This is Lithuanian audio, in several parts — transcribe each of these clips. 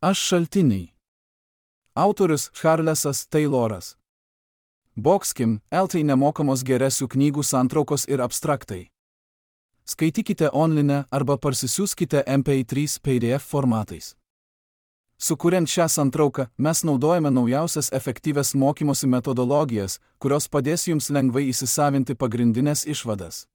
Aš šaltiniai. Autorius Charlesas Tayloras. Boxkim, LT nemokamos geresių knygų santraukos ir abstraktai. Skaitykite online arba parsisiųskite MP3 PDF formatais. Sukuriant šią santrauką, mes naudojame naujausias efektyvias mokymosi metodologijas, kurios padės jums lengvai įsisavinti pagrindinės išvadas.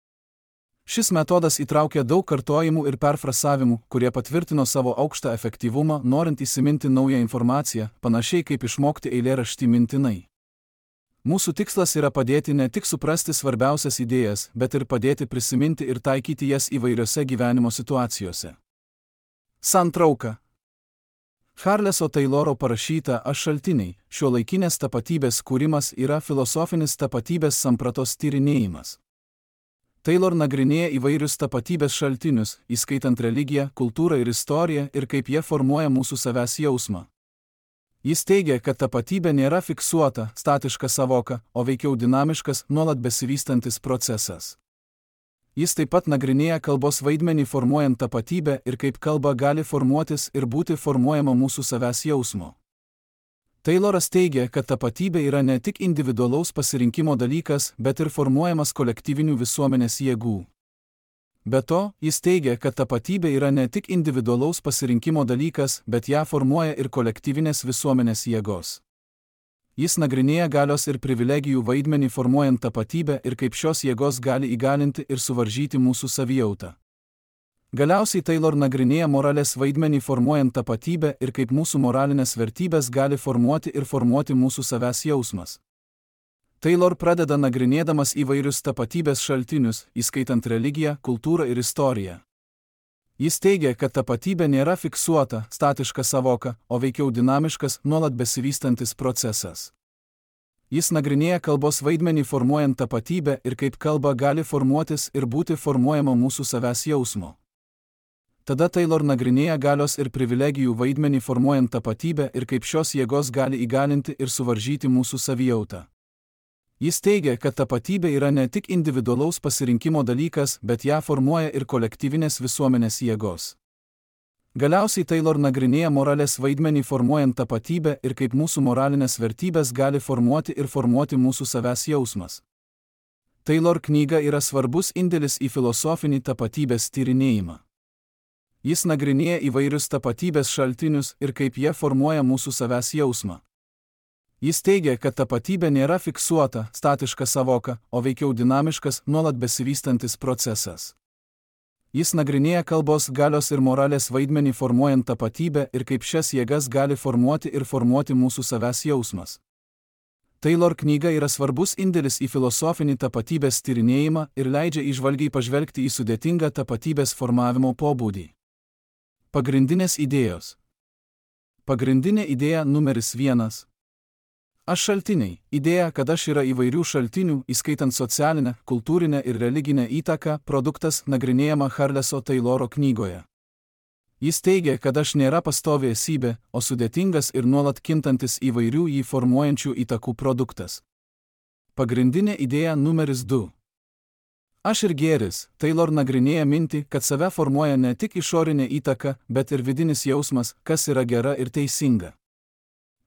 Šis metodas įtraukia daug kartojimų ir perfrazavimų, kurie patvirtino savo aukštą efektyvumą, norint įsiminti naują informaciją, panašiai kaip išmokti eilėraštį mintinai. Mūsų tikslas yra padėti ne tik suprasti svarbiausias idėjas, bet ir padėti prisiminti ir taikyti jas įvairiose gyvenimo situacijose. Santrauka. Charleso Tayloro parašyta Aš šaltiniai, šiuolaikinės tapatybės kūrimas yra filosofinis tapatybės sampratos tyrinėjimas. Taylor nagrinėja įvairius tapatybės šaltinius, įskaitant religiją, kultūrą ir istoriją ir kaip jie formuoja mūsų savęs jausmą. Jis teigia, kad tapatybė nėra fiksuota, statiška savoka, o veikiau dinamiškas, nuolat besivystantis procesas. Jis taip pat nagrinėja kalbos vaidmenį formuojant tapatybę ir kaip kalba gali formuotis ir būti formuojama mūsų savęs jausmo. Tayloras teigia, kad tapatybė yra ne tik individualaus pasirinkimo dalykas, bet ir formuojamas kolektyvinių visuomenės jėgų. Be to, jis teigia, kad tapatybė yra ne tik individualaus pasirinkimo dalykas, bet ją formuoja ir kolektyvinės visuomenės jėgos. Jis nagrinėja galios ir privilegijų vaidmenį formuojant tapatybę ir kaip šios jėgos gali įgalinti ir suvaržyti mūsų savijautą. Galiausiai Taylor nagrinėja moralės vaidmenį formuojant tapatybę ir kaip mūsų moralinės vertybės gali formuoti ir formuoti mūsų savęs jausmas. Taylor pradeda nagrinėdamas įvairius tapatybės šaltinius, įskaitant religiją, kultūrą ir istoriją. Jis teigia, kad tapatybė nėra fiksuota, statiška savoka, o veikiau dinamiškas, nuolat besivystantis procesas. Jis nagrinėja kalbos vaidmenį formuojant tapatybę ir kaip kalba gali formuotis ir būti formuojama mūsų savęs jausmo. Tada Taylor nagrinėja galios ir privilegijų vaidmenį formuojant tapatybę ir kaip šios jėgos gali įgalinti ir suvaržyti mūsų savijautą. Jis teigia, kad tapatybė yra ne tik individualaus pasirinkimo dalykas, bet ją formuoja ir kolektyvinės visuomenės jėgos. Galiausiai Taylor nagrinėja moralės vaidmenį formuojant tapatybę ir kaip mūsų moralinės vertybės gali formuoti ir formuoti mūsų savęs jausmas. Taylor knyga yra svarbus indėlis į filosofinį tapatybės tyrinėjimą. Jis nagrinėja įvairius tapatybės šaltinius ir kaip jie formuoja mūsų savęs jausmą. Jis teigia, kad tapatybė nėra fiksuota, statiška savoka, o veikiau dinamiškas, nuolat besivystantis procesas. Jis nagrinėja kalbos, galios ir moralės vaidmenį formuojant tapatybę ir kaip šias jėgas gali formuoti ir formuoti mūsų savęs jausmas. Taylor knyga yra svarbus indėlis į filosofinį tapatybės tyrinėjimą ir leidžia įžvalgiai pažvelgti į sudėtingą tapatybės formavimo pobūdį. Pagrindinės idėjos. Pagrindinė idėja numeris 1. Aš šaltiniai. Idėja, kad aš yra įvairių šaltinių, įskaitant socialinę, kultūrinę ir religinę įtaką, produktas nagrinėjama Charleso Tayloro knygoje. Jis teigia, kad aš nėra pastovi esybė, o sudėtingas ir nuolat kintantis įvairių jį formuojančių įtakų produktas. Pagrindinė idėja numeris 2. Aš ir gėris. Taylor nagrinėja mintį, kad save formuoja ne tik išorinė įtaka, bet ir vidinis jausmas, kas yra gera ir teisinga.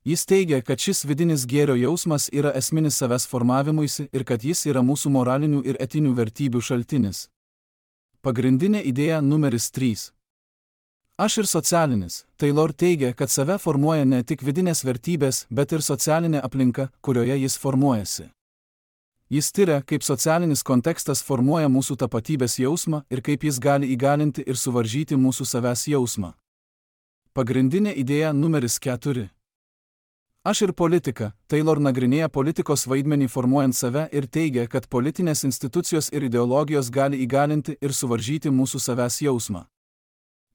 Jis teigia, kad šis vidinis gėrio jausmas yra esminis savęs formavimuisi ir kad jis yra mūsų moralinių ir etinių vertybių šaltinis. Pagrindinė idėja numeris 3. Aš ir socialinis. Taylor teigia, kad save formuoja ne tik vidinės vertybės, bet ir socialinė aplinka, kurioje jis formuojasi. Jis tiria, kaip socialinis kontekstas formuoja mūsų tapatybės jausmą ir kaip jis gali įgalinti ir suvaržyti mūsų savęs jausmą. Pagrindinė idėja numeris 4. Aš ir politika. Taylor nagrinėja politikos vaidmenį formuojant save ir teigia, kad politinės institucijos ir ideologijos gali įgalinti ir suvaržyti mūsų savęs jausmą.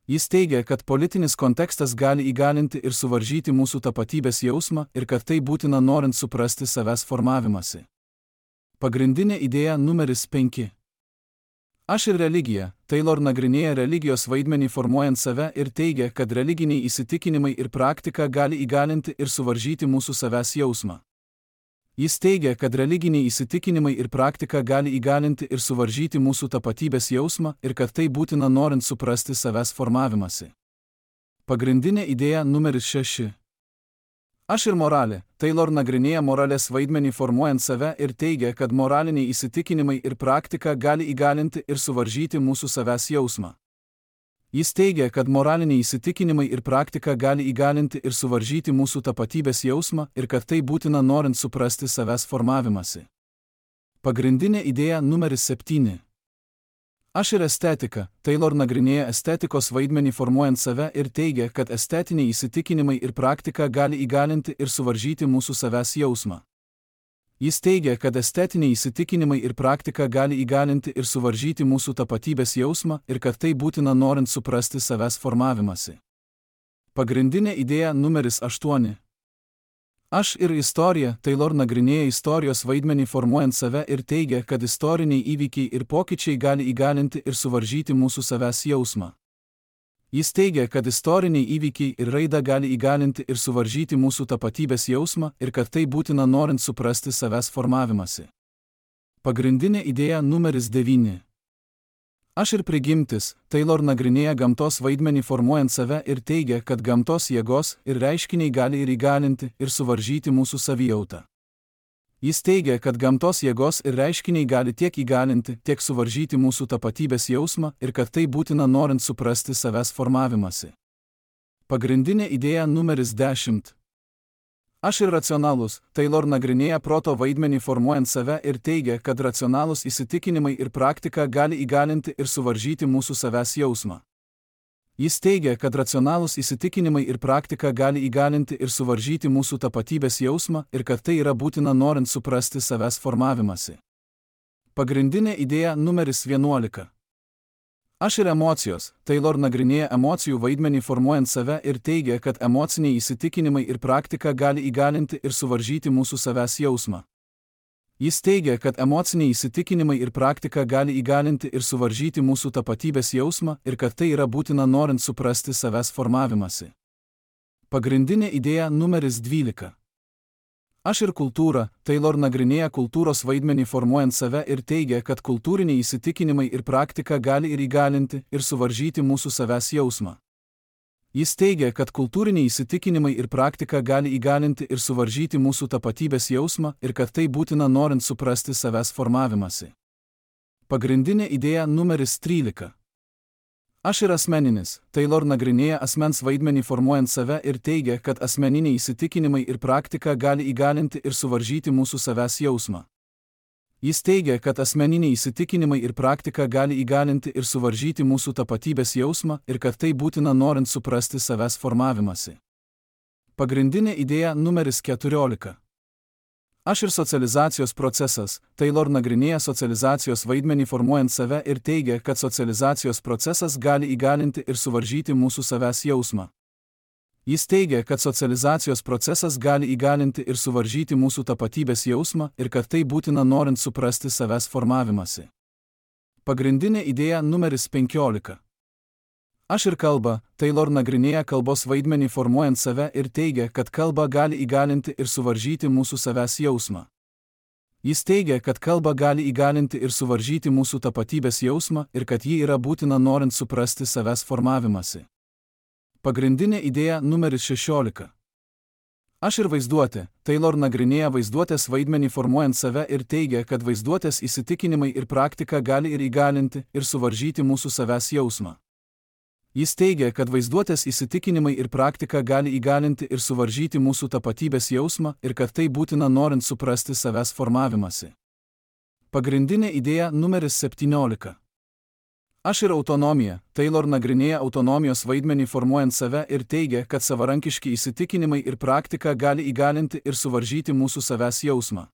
Jis teigia, kad politinis kontekstas gali įgalinti ir suvaržyti mūsų tapatybės jausmą ir kad tai būtina norint suprasti savęs formavimąsi. Pagrindinė idėja numeris 5. Aš ir religija. Taylor nagrinėja religijos vaidmenį formuojant save ir teigia, kad religiniai įsitikinimai ir praktika gali įgalinti ir suvaržyti mūsų savęs jausmą. Jis teigia, kad religiniai įsitikinimai ir praktika gali įgalinti ir suvaržyti mūsų tapatybės jausmą ir kad tai būtina norint suprasti savęs formavimąsi. Pagrindinė idėja numeris 6. Aš ir moralė. Taylor nagrinėja moralės vaidmenį formuojant save ir teigia, kad moraliniai įsitikinimai ir praktika gali įgalinti ir suvaržyti mūsų savęs jausmą. Jis teigia, kad moraliniai įsitikinimai ir praktika gali įgalinti ir suvaržyti mūsų tapatybės jausmą ir kad tai būtina norint suprasti savęs formavimąsi. Pagrindinė idėja numeris 7. Aš ir estetika. Taylor nagrinėja estetikos vaidmenį formuojant save ir teigia, kad estetiniai įsitikinimai ir praktika gali įgalinti ir suvaržyti mūsų savęs jausmą. Jis teigia, kad estetiniai įsitikinimai ir praktika gali įgalinti ir suvaržyti mūsų tapatybės jausmą ir kad tai būtina norint suprasti savęs formavimąsi. Pagrindinė idėja numeris 8. Aš ir istorija. Taylor nagrinėja istorijos vaidmenį formuojant save ir teigia, kad istoriniai įvykiai ir pokyčiai gali įgalinti ir suvaržyti mūsų savęs jausmą. Jis teigia, kad istoriniai įvykiai ir raida gali įgalinti ir suvaržyti mūsų tapatybės jausmą ir kad tai būtina norint suprasti savęs formavimąsi. Pagrindinė idėja numeris 9. Aš ir prigimtis. Taylor nagrinėja gamtos vaidmenį formuojant save ir teigia, kad gamtos jėgos ir reiškiniai gali ir įgalinti ir suvaržyti mūsų savijautą. Jis teigia, kad gamtos jėgos ir reiškiniai gali tiek įgalinti, tiek suvaržyti mūsų tapatybės jausmą ir kad tai būtina norint suprasti savęs formavimąsi. Pagrindinė idėja numeris 10. Aš ir racionalus. Taylor nagrinėja proto vaidmenį formuojant save ir teigia, kad racionalūs įsitikinimai ir praktika gali įgalinti ir suvaržyti mūsų savęs jausmą. Jis teigia, kad racionalūs įsitikinimai ir praktika gali įgalinti ir suvaržyti mūsų tapatybės jausmą ir kad tai yra būtina norint suprasti savęs formavimąsi. Pagrindinė idėja numeris 11. Aš ir emocijos. Taylor nagrinėja emocijų vaidmenį formuojant save ir teigia, kad emociniai įsitikinimai ir praktika gali įgalinti ir suvaržyti mūsų savęs jausmą. Jis teigia, kad emociniai įsitikinimai ir praktika gali įgalinti ir suvaržyti mūsų tapatybės jausmą ir kad tai yra būtina norint suprasti savęs formavimąsi. Pagrindinė idėja numeris 12. Aš ir kultūra. Taylor nagrinėja kultūros vaidmenį formuojant save ir teigia, kad kultūriniai įsitikinimai ir praktika gali ir įgalinti ir suvaržyti mūsų savęs jausmą. Jis teigia, kad kultūriniai įsitikinimai ir praktika gali įgalinti ir suvaržyti mūsų tapatybės jausmą ir kad tai būtina norint suprasti savęs formavimąsi. Pagrindinė idėja numeris 13. Aš ir asmeninis. Taylor nagrinėja asmens vaidmenį formuojant save ir teigia, kad asmeniniai įsitikinimai ir praktika gali įgalinti ir suvaržyti mūsų savęs jausmą. Jis teigia, kad asmeniniai įsitikinimai ir praktika gali įgalinti ir suvaržyti mūsų tapatybės jausmą ir kad tai būtina norint suprasti savęs formavimąsi. Pagrindinė idėja numeris 14. Aš ir socializacijos procesas. Taylor nagrinėja socializacijos vaidmenį formuojant save ir teigia, kad socializacijos procesas gali įgalinti ir suvaržyti mūsų savęs jausmą. Jis teigia, kad socializacijos procesas gali įgalinti ir suvaržyti mūsų tapatybės jausmą ir kad tai būtina norint suprasti savęs formavimąsi. Pagrindinė idėja numeris 15. Aš ir kalba. Taylor nagrinėja kalbos vaidmenį formuojant save ir teigia, kad kalba gali įgalinti ir suvaržyti mūsų savęs jausmą. Jis teigia, kad kalba gali įgalinti ir suvaržyti mūsų tapatybės jausmą ir kad ji yra būtina norint suprasti savęs formavimąsi. Pagrindinė idėja numeris 16. Aš ir vaizduotė. Taylor nagrinėja vaizduotės vaidmenį formuojant save ir teigia, kad vaizduotės įsitikinimai ir praktika gali ir įgalinti ir suvaržyti mūsų savęs jausmą. Jis teigia, kad vaizduotės įsitikinimai ir praktika gali įgalinti ir suvaržyti mūsų tapatybės jausmą ir kad tai būtina norint suprasti savęs formavimąsi. Pagrindinė idėja numeris 17. Aš ir autonomija. Taylor nagrinėja autonomijos vaidmenį formuojant save ir teigia, kad savarankiški įsitikinimai ir praktika gali įgalinti ir suvaržyti mūsų savęs jausmą.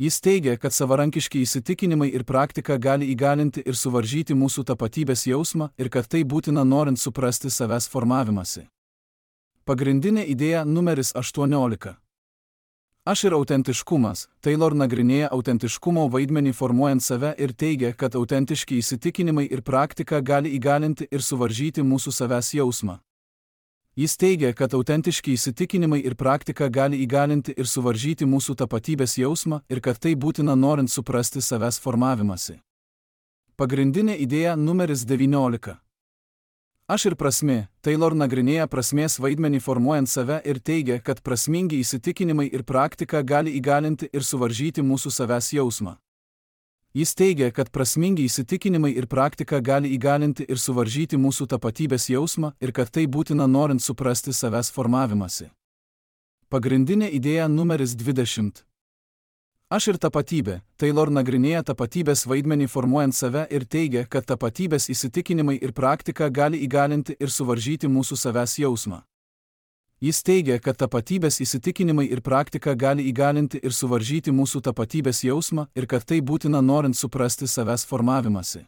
Jis teigia, kad savarankiški įsitikinimai ir praktika gali įgalinti ir suvaržyti mūsų tapatybės jausmą ir kad tai būtina norint suprasti savęs formavimąsi. Pagrindinė idėja numeris 18. Aš ir autentiškumas. Taylor nagrinėja autentiškumo vaidmenį formuojant save ir teigia, kad autentiški įsitikinimai ir praktika gali įgalinti ir suvaržyti mūsų savęs jausmą. Jis teigia, kad autentiški įsitikinimai ir praktika gali įgalinti ir suvaržyti mūsų tapatybės jausmą ir kad tai būtina norint suprasti savęs formavimąsi. Pagrindinė idėja numeris 19. Aš ir prasmė. Taylor nagrinėja prasmės vaidmenį formuojant save ir teigia, kad prasmingi įsitikinimai ir praktika gali įgalinti ir suvaržyti mūsų savęs jausmą. Jis teigia, kad prasmingi įsitikinimai ir praktika gali įgalinti ir suvaržyti mūsų tapatybės jausmą ir kad tai būtina norint suprasti savęs formavimąsi. Pagrindinė idėja numeris 20. Aš ir tapatybė. Taylor nagrinėja tapatybės vaidmenį formuojant save ir teigia, kad tapatybės įsitikinimai ir praktika gali įgalinti ir suvaržyti mūsų savęs jausmą. Jis teigia, kad tapatybės įsitikinimai ir praktika gali įgalinti ir suvaržyti mūsų tapatybės jausmą ir kad tai būtina norint suprasti savęs formavimąsi.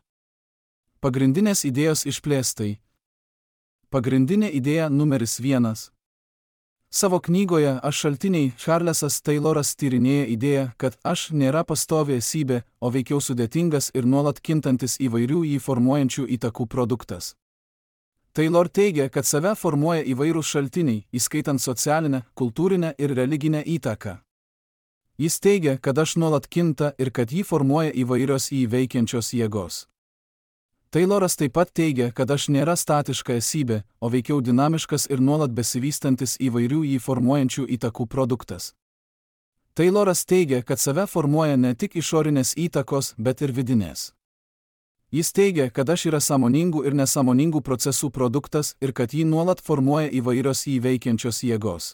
Pagrindinės idėjos išplėstai. Pagrindinė idėja numeris 1. Savo knygoje Aš šaltiniai Charlesas Tayloras tyrinėja idėją, kad aš nėra pastovi esybė, o veikiau sudėtingas ir nuolat kintantis įvairių jį formuojančių įtakų produktas. Taylor teigia, kad save formuoja įvairūs šaltiniai, įskaitant socialinę, kultūrinę ir religinę įtaką. Jis teigia, kad aš nuolat kinta ir kad jį formuoja įvairios jį veikiančios jėgos. Tayloras taip pat teigia, kad aš nėra statiška esybė, o veikiau dinamiškas ir nuolat besivystantis įvairių jį formuojančių įtakų produktas. Tayloras teigia, kad save formuoja ne tik išorinės įtakos, bet ir vidinės. Jis teigia, kad aš yra sąmoningų ir nesąmoningų procesų produktas ir kad jį nuolat formuoja įvairios jį veikiančios jėgos.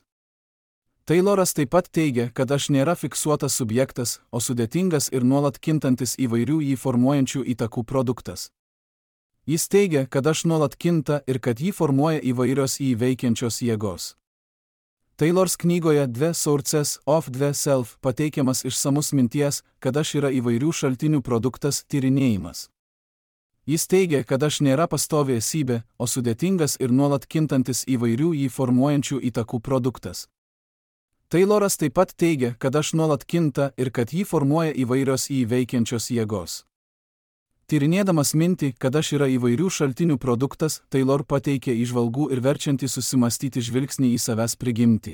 Tayloras taip pat teigia, kad aš nėra fiksuotas subjektas, o sudėtingas ir nuolat kintantis įvairių jį formuojančių įtakų produktas. Jis teigia, kad aš nuolat kinta ir kad jį formuoja įvairios jį veikiančios jėgos. Taylors knygoje The Sources of the Self pateikiamas išsamus minties, kad aš yra įvairių šaltinių produktas tyrinėjimas. Jis teigia, kad aš nėra pastovi esybė, o sudėtingas ir nuolat kintantis įvairių jį formuojančių įtakų produktas. Tayloras taip pat teigia, kad aš nuolat kinta ir kad jį formuoja įvairios jį veikiančios jėgos. Tyrinėdamas mintį, kad aš yra įvairių šaltinių produktas, Taylor pateikė įžvalgų ir verčiantį susimastyti žvilgsnį į savęs prigimtį.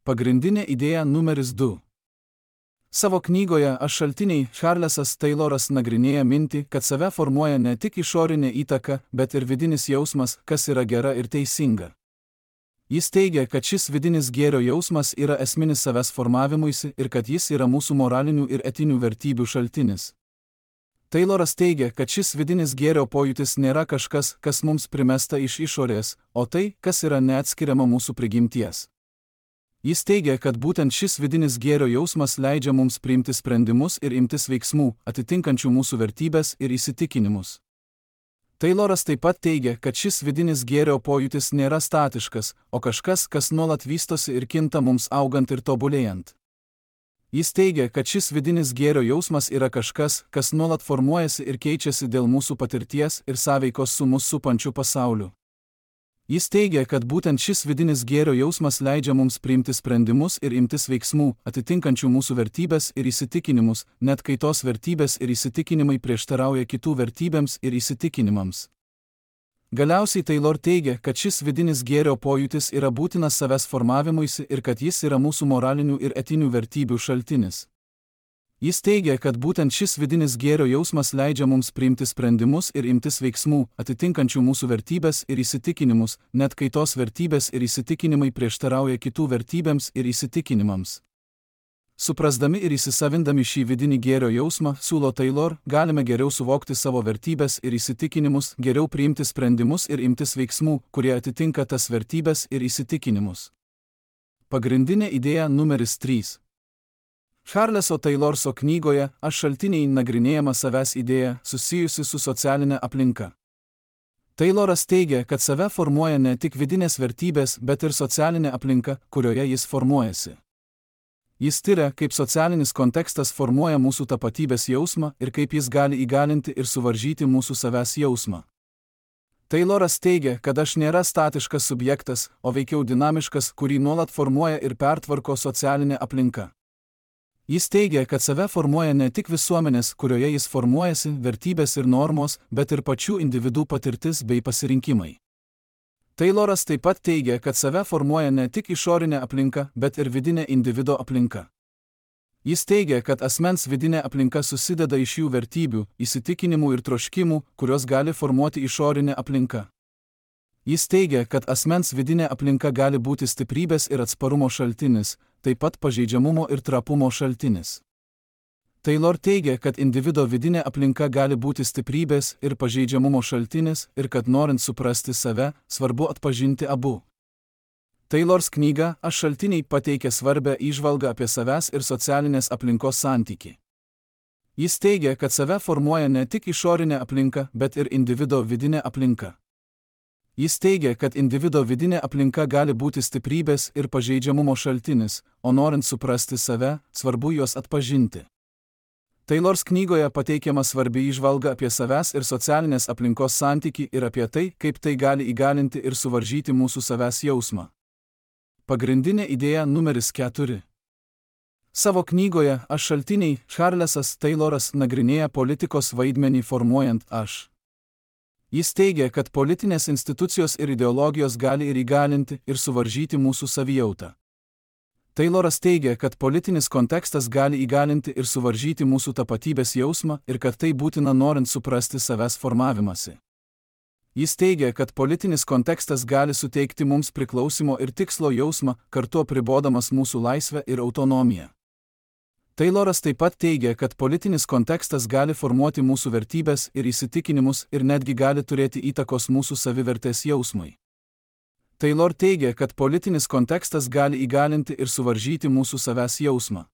Pagrindinė idėja numeris 2. Savo knygoje Aš šaltiniai Charlesas Tayloras nagrinėja mintį, kad save formuoja ne tik išorinė įtaka, bet ir vidinis jausmas, kas yra gera ir teisinga. Jis teigia, kad šis vidinis gėrio jausmas yra esminis savęs formavimuisi ir kad jis yra mūsų moralinių ir etinių vertybių šaltinis. Tayloras teigia, kad šis vidinis gėrio pojūtis nėra kažkas, kas mums primesta iš išorės, o tai, kas yra neatskiriama mūsų prigimties. Jis teigia, kad būtent šis vidinis gėrio jausmas leidžia mums priimti sprendimus ir imtis veiksmų, atitinkančių mūsų vertybės ir įsitikinimus. Tayloras taip pat teigia, kad šis vidinis gėrio pojūtis nėra statiškas, o kažkas, kas nuolat vystosi ir kinta mums augant ir tobulėjant. Jis teigia, kad šis vidinis gėrio jausmas yra kažkas, kas nuolat formuojasi ir keičiasi dėl mūsų patirties ir sąveikos su mus supančiu pasauliu. Jis teigia, kad būtent šis vidinis gėrio jausmas leidžia mums priimti sprendimus ir imtis veiksmų, atitinkančių mūsų vertybės ir įsitikinimus, net kai tos vertybės ir įsitikinimai prieštarauja kitų vertybėms ir įsitikinimams. Galiausiai Taylor teigia, kad šis vidinis gėrio pojūtis yra būtinas savęs formavimuisi ir kad jis yra mūsų moralinių ir etinių vertybių šaltinis. Jis teigia, kad būtent šis vidinis gėrio jausmas leidžia mums priimti sprendimus ir imtis veiksmų, atitinkančių mūsų vertybės ir įsitikinimus, net kai tos vertybės ir įsitikinimai prieštarauja kitų vertybėms ir įsitikinimams. Suprasdami ir įsisavindami šį vidinį gėrio jausmą, siūlo Taylor, galime geriau suvokti savo vertybės ir įsitikinimus, geriau priimti sprendimus ir imtis veiksmų, kurie atitinka tas vertybės ir įsitikinimus. Pagrindinė idėja numeris 3. Charleso Taylorso knygoje Aš šaltiniai nagrinėjama savęs idėja susijusi su socialinė aplinka. Tayloras teigia, kad save formuoja ne tik vidinės vertybės, bet ir socialinė aplinka, kurioje jis formuojasi. Jis tiria, kaip socialinis kontekstas formuoja mūsų tapatybės jausmą ir kaip jis gali įgalinti ir suvaržyti mūsų savęs jausmą. Tayloras teigia, kad aš nėra statiškas subjektas, o veikiau dinamiškas, kurį nuolat formuoja ir pertvarko socialinė aplinka. Jis teigia, kad save formuoja ne tik visuomenės, kurioje jis formuojasi, vertybės ir normos, bet ir pačių individų patirtis bei pasirinkimai. Tayloras taip pat teigia, kad save formuoja ne tik išorinė aplinka, bet ir vidinė individo aplinka. Jis teigia, kad asmens vidinė aplinka susideda iš jų vertybių, įsitikinimų ir troškimų, kurios gali formuoti išorinė aplinka. Jis teigia, kad asmens vidinė aplinka gali būti stiprybės ir atsparumo šaltinis, taip pat pažeidžiamumo ir trapumo šaltinis. Taylor teigia, kad individo vidinė aplinka gali būti stiprybės ir pažeidžiamumo šaltinis ir kad norint suprasti save, svarbu atpažinti abu. Taylors knyga Aš šaltiniai pateikia svarbią įžvalgą apie savęs ir socialinės aplinkos santykį. Jis teigia, kad save formuoja ne tik išorinė aplinka, bet ir individo vidinė aplinka. Jis teigia, kad individo vidinė aplinka gali būti stiprybės ir pažeidžiamumo šaltinis, o norint suprasti save, svarbu juos atpažinti. Taylors knygoje pateikiama svarbi įžvalga apie savęs ir socialinės aplinkos santykį ir apie tai, kaip tai gali įgalinti ir suvaržyti mūsų savęs jausmą. Pagrindinė idėja numeris 4. Savo knygoje Aš šaltiniai Charlesas Tayloras nagrinėja politikos vaidmenį formuojant aš. Jis teigia, kad politinės institucijos ir ideologijos gali ir įgalinti ir suvaržyti mūsų savijautą. Tayloras teigia, kad politinis kontekstas gali įgalinti ir suvaržyti mūsų tapatybės jausmą ir kad tai būtina norint suprasti savęs formavimąsi. Jis teigia, kad politinis kontekstas gali suteikti mums priklausimo ir tikslo jausmą, kartu apribodamas mūsų laisvę ir autonomiją. Tayloras taip pat teigia, kad politinis kontekstas gali formuoti mūsų vertybės ir įsitikinimus ir netgi gali turėti įtakos mūsų savivertės jausmui. Taylor teigia, kad politinis kontekstas gali įgalinti ir suvaržyti mūsų savęs jausmą.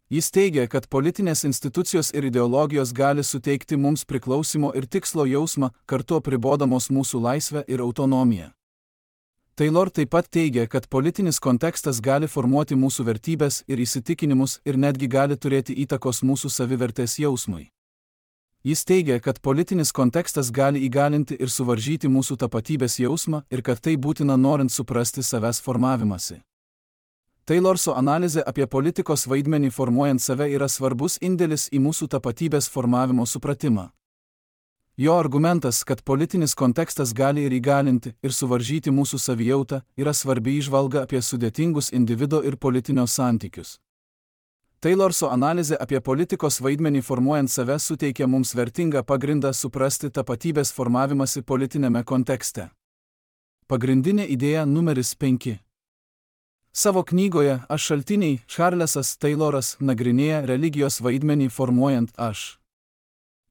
Jis teigia, kad politinės institucijos ir ideologijos gali suteikti mums priklausimo ir tikslo jausmą, kartu apribodamos mūsų laisvę ir autonomiją. Taylor taip pat teigia, kad politinis kontekstas gali formuoti mūsų vertybės ir įsitikinimus ir netgi gali turėti įtakos mūsų savivertės jausmui. Jis teigia, kad politinis kontekstas gali įgalinti ir suvaržyti mūsų tapatybės jausmą ir kad tai būtina norint suprasti savęs formavimąsi. Taylorso analizė apie politikos vaidmenį formuojant save yra svarbus indėlis į mūsų tapatybės formavimo supratimą. Jo argumentas, kad politinis kontekstas gali ir įgalinti ir suvaržyti mūsų savijautą, yra svarbi įžvalga apie sudėtingus individo ir politinio santykius. Taylorso analizė apie politikos vaidmenį formuojant save suteikia mums vertingą pagrindą suprasti tapatybės formavimąsi politinėme kontekste. Pagrindinė idėja numeris 5. Savo knygoje Aš šaltiniai Charlesas Tayloras nagrinėja religijos vaidmenį formuojant aš.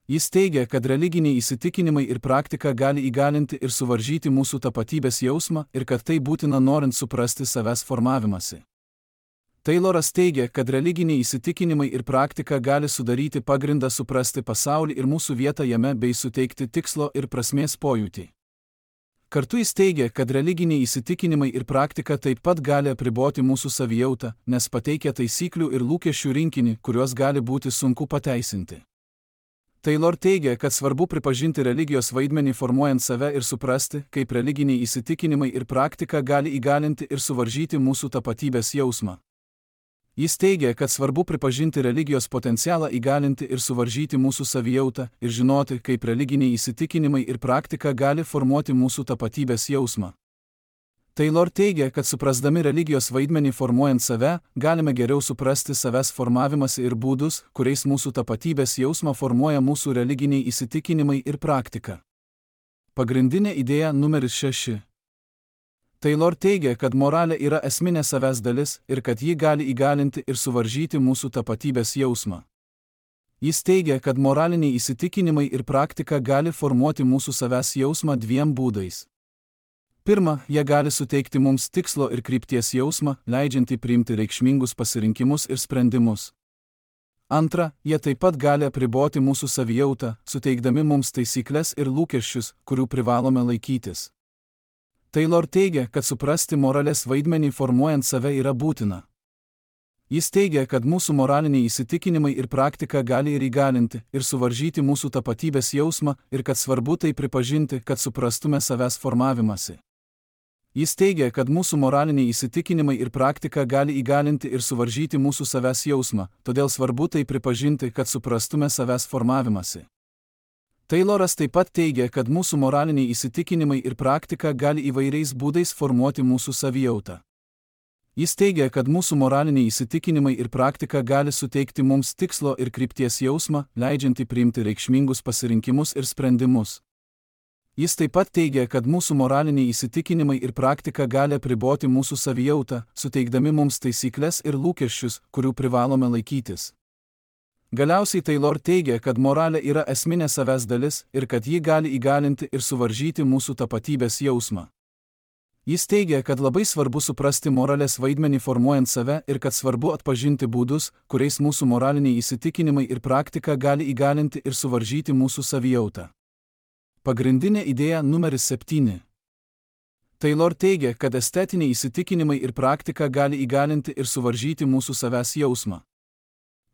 Jis teigia, kad religiniai įsitikinimai ir praktika gali įgalinti ir suvaržyti mūsų tapatybės jausmą ir kad tai būtina norint suprasti savęs formavimąsi. Tayloras teigia, kad religiniai įsitikinimai ir praktika gali sudaryti pagrindą suprasti pasaulį ir mūsų vietą jame bei suteikti tikslo ir prasmės pojūtį. Kartu jis teigia, kad religiniai įsitikinimai ir praktika taip pat gali apriboti mūsų savijautą, nes pateikia taisyklių ir lūkesčių rinkinį, kuriuos gali būti sunku pateisinti. Taylor teigia, kad svarbu pripažinti religijos vaidmenį formuojant save ir suprasti, kaip religiniai įsitikinimai ir praktika gali įgalinti ir suvaržyti mūsų tapatybės jausmą. Jis teigia, kad svarbu pripažinti religijos potencialą įgalinti ir suvaržyti mūsų savijautą ir žinoti, kaip religiniai įsitikinimai ir praktika gali formuoti mūsų tapatybės jausmą. Taylor teigia, kad suprasdami religijos vaidmenį formuojant save, galime geriau suprasti savęs formavimąsi ir būdus, kuriais mūsų tapatybės jausmą formuoja mūsų religiniai įsitikinimai ir praktika. Pagrindinė idėja numeris 6. Taylor teigia, kad moralė yra esminė savęs dalis ir kad ji gali įgalinti ir suvaržyti mūsų tapatybės jausmą. Jis teigia, kad moraliniai įsitikinimai ir praktika gali formuoti mūsų savęs jausmą dviem būdais. Pirma, jie gali suteikti mums tikslo ir krypties jausmą, leidžiantį priimti reikšmingus pasirinkimus ir sprendimus. Antra, jie taip pat gali apriboti mūsų savijautą, suteikdami mums taisyklės ir lūkesčius, kurių privalome laikytis. Taylor teigia, kad suprasti moralės vaidmenį formuojant save yra būtina. Jis teigia, kad mūsų moraliniai įsitikinimai ir praktika gali ir įgalinti ir suvaržyti mūsų tapatybės jausmą ir kad svarbu tai pripažinti, kad suprastume savęs formavimąsi. Jis teigia, kad mūsų moraliniai įsitikinimai ir praktika gali įgalinti ir suvaržyti mūsų savęs jausmą, todėl svarbu tai pripažinti, kad suprastume savęs formavimąsi. Tayloras taip pat teigia, kad mūsų moraliniai įsitikinimai ir praktika gali įvairiais būdais formuoti mūsų savijautą. Jis teigia, kad mūsų moraliniai įsitikinimai ir praktika gali suteikti mums tikslo ir krypties jausmą, leidžiantį priimti reikšmingus pasirinkimus ir sprendimus. Jis taip pat teigia, kad mūsų moraliniai įsitikinimai ir praktika gali apriboti mūsų savijautą, suteikdami mums taisyklės ir lūkesčius, kurių privalome laikytis. Galiausiai Taylor teigia, kad moralė yra esminė savęs dalis ir kad ji gali įgalinti ir suvaržyti mūsų tapatybės jausmą. Jis teigia, kad labai svarbu suprasti moralės vaidmenį formuojant save ir kad svarbu atpažinti būdus, kuriais mūsų moraliniai įsitikinimai ir praktika gali įgalinti ir suvaržyti mūsų savijautą. Pagrindinė idėja numeris 7. Taylor teigia, kad estetiniai įsitikinimai ir praktika gali įgalinti ir suvaržyti mūsų savęs jausmą.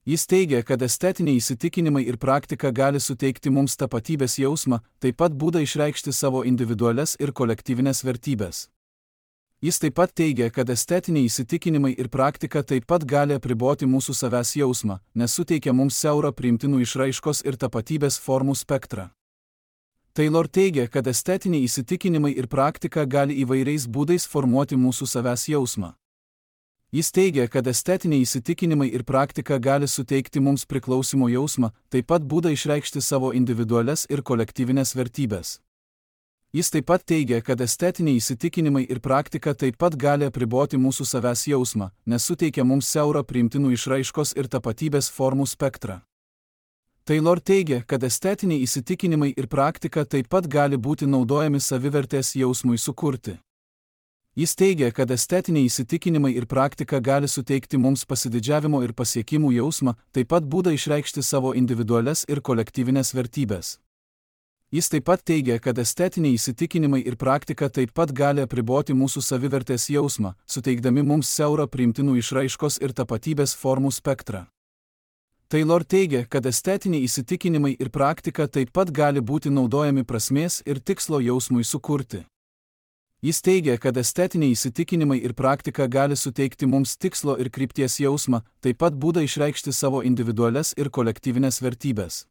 Jis teigia, kad estetiniai įsitikinimai ir praktika gali suteikti mums tapatybės jausmą, taip pat būdą išreikšti savo individualias ir kolektyvinės vertybės. Jis taip pat teigia, kad estetiniai įsitikinimai ir praktika taip pat gali apriboti mūsų savęs jausmą, nes suteikia mums siaurą priimtinų išraiškos ir tapatybės formų spektrą. Taylor teigia, kad estetiniai įsitikinimai ir praktika gali įvairiais būdais formuoti mūsų savęs jausmą. Jis teigia, kad estetiniai įsitikinimai ir praktika gali suteikti mums priklausimo jausmą, taip pat būdą išreikšti savo individualias ir kolektyvinės vertybės. Jis taip pat teigia, kad estetiniai įsitikinimai ir praktika taip pat gali apriboti mūsų savęs jausmą, nes suteikia mums siaurą priimtinų išraiškos ir tapatybės formų spektrą. Taylor teigia, kad estetiniai įsitikinimai ir praktika taip pat gali būti naudojami savivertės jausmui sukurti. Jis teigia, kad estetiniai įsitikinimai ir praktika gali suteikti mums pasididžiavimo ir pasiekimų jausmą, taip pat būdą išreikšti savo individualias ir kolektyvinės vertybės. Jis taip pat teigia, kad estetiniai įsitikinimai ir praktika taip pat gali apriboti mūsų savivertės jausmą, suteikdami mums siaurą priimtinų išraiškos ir tapatybės formų spektrą. Taylor teigia, kad estetiniai įsitikinimai ir praktika taip pat gali būti naudojami prasmės ir tikslo jausmui sukurti. Jis teigia, kad estetiniai įsitikinimai ir praktika gali suteikti mums tikslo ir krypties jausmą, taip pat būdą išreikšti savo individualias ir kolektyvinės vertybės.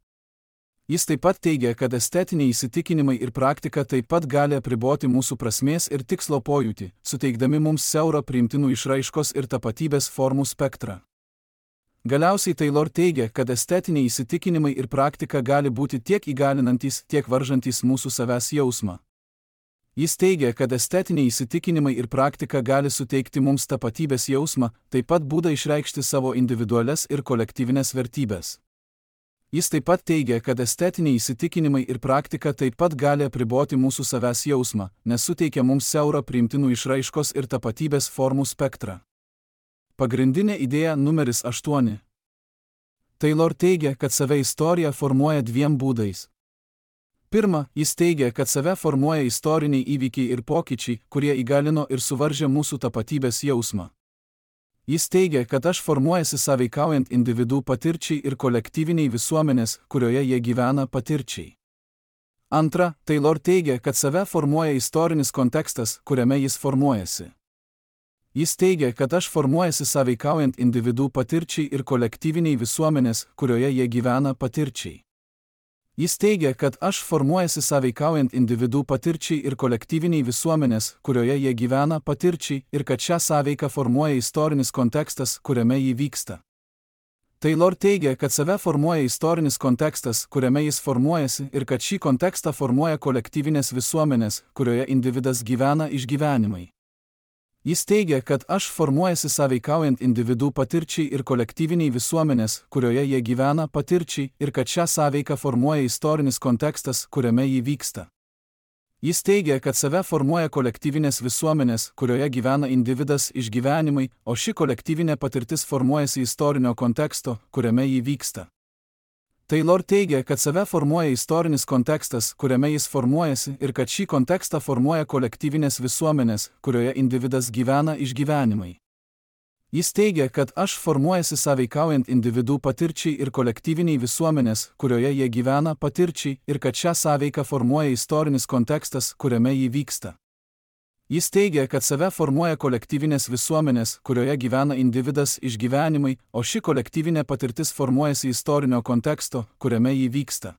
Jis taip pat teigia, kad estetiniai įsitikinimai ir praktika taip pat gali apriboti mūsų prasmės ir tikslo pojūtį, suteikdami mums siaurą priimtinų išraiškos ir tapatybės formų spektrą. Galiausiai Taylor teigia, kad estetiniai įsitikinimai ir praktika gali būti tiek įgalinantys, tiek varžantys mūsų savęs jausmą. Jis teigia, kad estetiniai įsitikinimai ir praktika gali suteikti mums tapatybės jausmą, taip pat būdą išreikšti savo individualias ir kolektyvinės vertybės. Jis taip pat teigia, kad estetiniai įsitikinimai ir praktika taip pat gali apriboti mūsų savęs jausmą, nes suteikia mums siaurą priimtinų išraiškos ir tapatybės formų spektrą. Pagrindinė idėja numeris 8. Taylor teigia, kad save istorija formuoja dviem būdais. Pirma, jis teigia, kad save formuoja istoriniai įvykiai ir pokyčiai, kurie įgalino ir suvaržė mūsų tapatybės jausmą. Jis teigia, kad aš formuojasi sąveikaujant individų patirčiai ir kolektyviniai visuomenės, kurioje jie gyvena patirčiai. Antra, Taylor teigia, kad save formuoja istorinis kontekstas, kuriame jis formuojasi. Jis teigia, kad aš formuojasi sąveikaujant individų patirčiai ir kolektyviniai visuomenės, kurioje jie gyvena patirčiai. Jis teigia, kad aš formuojasi sąveikaujant individų patirčiai ir kolektyviniai visuomenės, kurioje jie gyvena patirčiai ir kad šią sąveiką formuoja istorinis kontekstas, kuriame jį vyksta. Taylor teigia, kad save formuoja istorinis kontekstas, kuriame jis formuojasi ir kad šį kontekstą formuoja kolektyvinės visuomenės, kurioje individas gyvena išgyvenimai. Jis teigia, kad aš formuojasi sąveikaujant individų patirčiai ir kolektyviniai visuomenės, kurioje jie gyvena patirčiai ir kad šią sąveiką formuoja istorinis kontekstas, kuriame jį vyksta. Jis teigia, kad save formuoja kolektyvinės visuomenės, kurioje gyvena individas išgyvenimai, o ši kolektyvinė patirtis formuojasi istorinio konteksto, kuriame jį vyksta. Taylor teigia, kad save formuoja istorinis kontekstas, kuriame jis formuojasi ir kad šį kontekstą formuoja kolektyvinės visuomenės, kurioje individas gyvena išgyvenimai. Jis teigia, kad aš formuojasi sąveikaujant individų patirčiai ir kolektyviniai visuomenės, kurioje jie gyvena patirčiai ir kad šią sąveiką formuoja istorinis kontekstas, kuriame jį vyksta. Jis teigia, kad save formuoja kolektyvinės visuomenės, kurioje gyvena individas išgyvenimai, o ši kolektyvinė patirtis formuojasi istorinio konteksto, kuriame jį vyksta.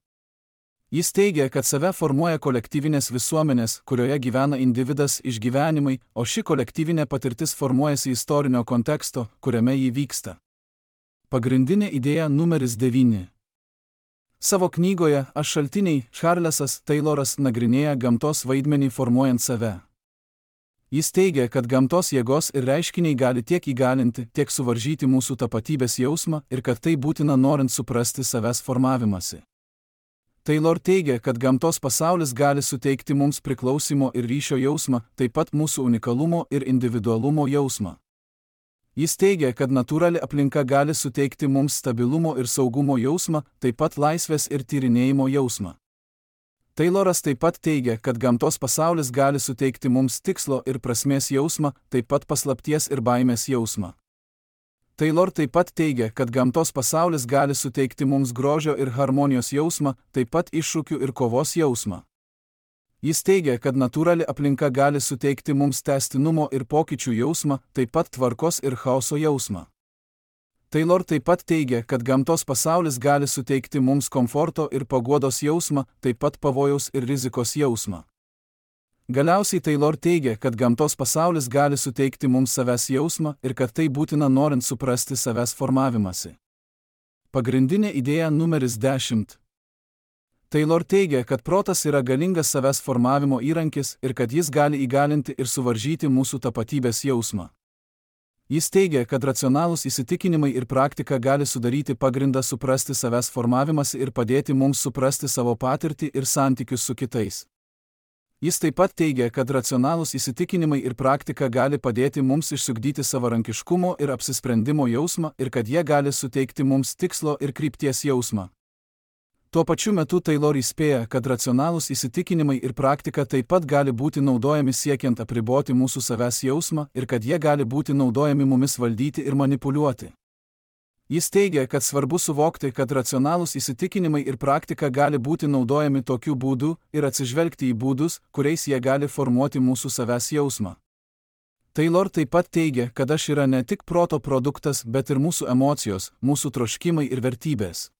Jis teigia, kad save formuoja kolektyvinės visuomenės, kurioje gyvena individas išgyvenimai, o ši kolektyvinė patirtis formuojasi istorinio konteksto, kuriame jį vyksta. Pagrindinė idėja numeris 9. Savo knygoje Aš šaltiniai Charlesas Tayloras nagrinėja gamtos vaidmenį formuojant save. Jis teigia, kad gamtos jėgos ir reiškiniai gali tiek įgalinti, tiek suvaržyti mūsų tapatybės jausmą ir kad tai būtina norint suprasti savęs formavimąsi. Taylor teigia, kad gamtos pasaulis gali suteikti mums priklausimo ir ryšio jausmą, taip pat mūsų unikalumo ir individualumo jausmą. Jis teigia, kad natūrali aplinka gali suteikti mums stabilumo ir saugumo jausmą, taip pat laisvės ir tyrinėjimo jausmą. Tayloras taip pat teigia, kad gamtos pasaulis gali suteikti mums tikslo ir prasmės jausmą, taip pat paslapties ir baimės jausmą. Taylor taip pat teigia, kad gamtos pasaulis gali suteikti mums grožio ir harmonijos jausmą, taip pat iššūkių ir kovos jausmą. Jis teigia, kad natūrali aplinka gali suteikti mums tęstinumo ir pokyčių jausmą, taip pat tvarkos ir chaoso jausmą. Taylor taip pat teigia, kad gamtos pasaulis gali suteikti mums komforto ir paguodos jausmą, taip pat pavojaus ir rizikos jausmą. Galiausiai Taylor teigia, kad gamtos pasaulis gali suteikti mums savęs jausmą ir kad tai būtina norint suprasti savęs formavimąsi. Pagrindinė idėja numeris 10. Taylor teigia, kad protas yra galingas savęs formavimo įrankis ir kad jis gali įgalinti ir suvaržyti mūsų tapatybės jausmą. Jis teigia, kad racionalūs įsitikinimai ir praktika gali sudaryti pagrindą suprasti savęs formavimąsi ir padėti mums suprasti savo patirtį ir santykius su kitais. Jis taip pat teigia, kad racionalūs įsitikinimai ir praktika gali padėti mums išsiugdyti savarankiškumo ir apsisprendimo jausmą ir kad jie gali suteikti mums tikslo ir krypties jausmą. Tuo pačiu metu Taylor įspėja, kad racionalūs įsitikinimai ir praktika taip pat gali būti naudojami siekiant apriboti mūsų savęs jausmą ir kad jie gali būti naudojami mumis valdyti ir manipuliuoti. Jis teigia, kad svarbu suvokti, kad racionalūs įsitikinimai ir praktika gali būti naudojami tokiu būdu ir atsižvelgti į būdus, kuriais jie gali formuoti mūsų savęs jausmą. Taylor taip pat teigia, kad aš yra ne tik proto produktas, bet ir mūsų emocijos, mūsų troškimai ir vertybės.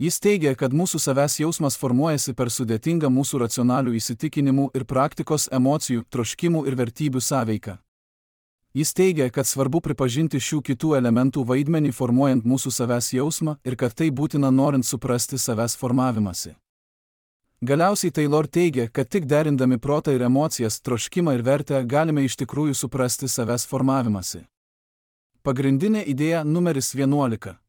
Jis teigia, kad mūsų savęs jausmas formuojasi per sudėtingą mūsų racionalių įsitikinimų ir praktikos emocijų, troškimų ir vertybių sąveiką. Jis teigia, kad svarbu pripažinti šių kitų elementų vaidmenį formuojant mūsų savęs jausmą ir kad tai būtina norint suprasti savęs formavimąsi. Galiausiai Taylor teigia, kad tik derindami protą ir emocijas, troškimą ir vertę galime iš tikrųjų suprasti savęs formavimąsi. Pagrindinė idėja numeris 11.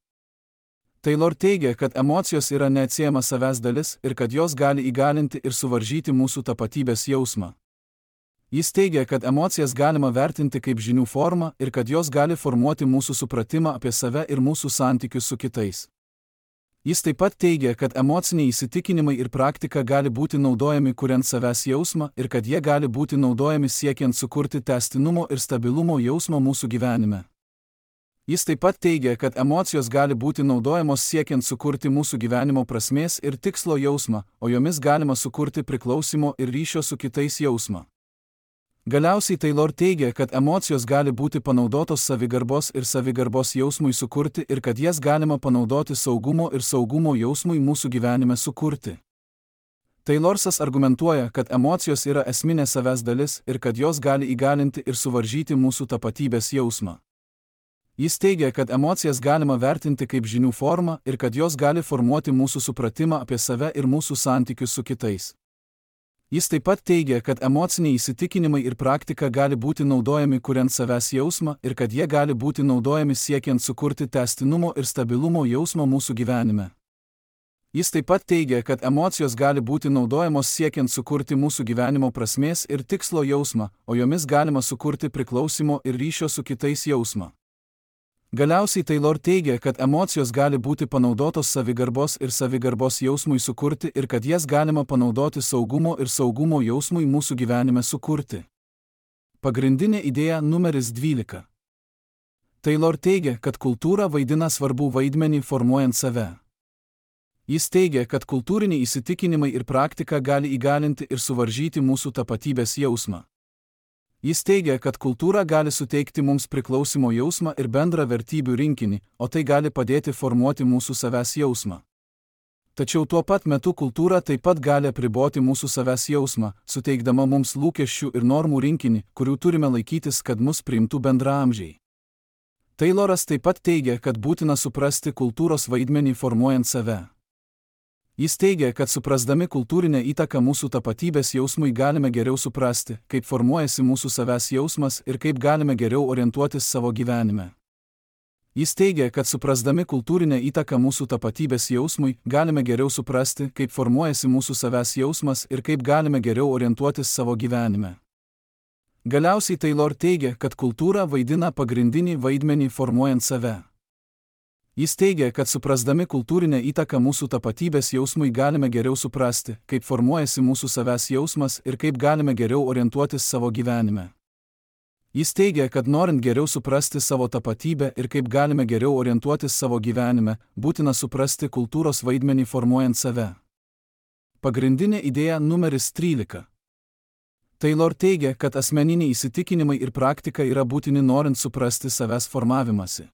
Taylor teigia, kad emocijos yra neatsiejama savęs dalis ir kad jos gali įgalinti ir suvaržyti mūsų tapatybės jausmą. Jis teigia, kad emocijas galima vertinti kaip žinių formą ir kad jos gali formuoti mūsų supratimą apie save ir mūsų santykius su kitais. Jis taip pat teigia, kad emociniai įsitikinimai ir praktika gali būti naudojami kuriant savęs jausmą ir kad jie gali būti naudojami siekiant sukurti tęstinumo ir stabilumo jausmą mūsų gyvenime. Jis taip pat teigia, kad emocijos gali būti naudojamos siekiant sukurti mūsų gyvenimo prasmės ir tikslo jausmą, o jomis galima sukurti priklausimo ir ryšio su kitais jausmą. Galiausiai Taylor teigia, kad emocijos gali būti panaudotos savigarbos ir savigarbos jausmui sukurti ir kad jas galima panaudoti saugumo ir saugumo jausmui mūsų gyvenime sukurti. Taylorsas argumentuoja, kad emocijos yra esminė savęs dalis ir kad jos gali įgalinti ir suvaržyti mūsų tapatybės jausmą. Jis teigia, kad emocijas galima vertinti kaip žinių formą ir kad jos gali formuoti mūsų supratimą apie save ir mūsų santykius su kitais. Jis taip pat teigia, kad emociniai įsitikinimai ir praktika gali būti naudojami kuriant savęs jausmą ir kad jie gali būti naudojami siekiant sukurti tęstinumo ir stabilumo jausmą mūsų gyvenime. Jis taip pat teigia, kad emocijos gali būti naudojamos siekiant sukurti mūsų gyvenimo prasmės ir tikslo jausmą, o jomis galima sukurti priklausimo ir ryšio su kitais jausmą. Galiausiai Taylor teigia, kad emocijos gali būti panaudotos savigarbos ir savigarbos jausmui sukurti ir kad jas galima panaudoti saugumo ir saugumo jausmui mūsų gyvenime sukurti. Pagrindinė idėja numeris 12. Taylor teigia, kad kultūra vaidina svarbų vaidmenį formuojant save. Jis teigia, kad kultūriniai įsitikinimai ir praktika gali įgalinti ir suvaržyti mūsų tapatybės jausmą. Jis teigia, kad kultūra gali suteikti mums priklausimo jausmą ir bendrą vertybių rinkinį, o tai gali padėti formuoti mūsų savęs jausmą. Tačiau tuo pat metu kultūra taip pat gali apriboti mūsų savęs jausmą, suteikdama mums lūkesčių ir normų rinkinį, kurių turime laikytis, kad mus priimtų bendraamžiai. Tayloras taip pat teigia, kad būtina suprasti kultūros vaidmenį formuojant save. Jis teigia, kad suprasdami kultūrinę įtaką mūsų tapatybės jausmui galime geriau suprasti, kaip formuojasi mūsų savęs jausmas ir kaip galime geriau orientuotis savo gyvenime. Jis teigia, kad suprasdami kultūrinę įtaką mūsų tapatybės jausmui galime geriau suprasti, kaip formuojasi mūsų savęs jausmas ir kaip galime geriau orientuotis savo gyvenime. Galiausiai Taylor teigia, kad kultūra vaidina pagrindinį vaidmenį formuojant save. Jis teigia, kad suprasdami kultūrinę įtaką mūsų tapatybės jausmui galime geriau suprasti, kaip formuojasi mūsų savęs jausmas ir kaip galime geriau orientuotis savo gyvenime. Jis teigia, kad norint geriau suprasti savo tapatybę ir kaip galime geriau orientuotis savo gyvenime, būtina suprasti kultūros vaidmenį formuojant save. Pagrindinė idėja numeris 13. Taylor teigia, kad asmeniniai įsitikinimai ir praktika yra būtini norint suprasti savęs formavimąsi.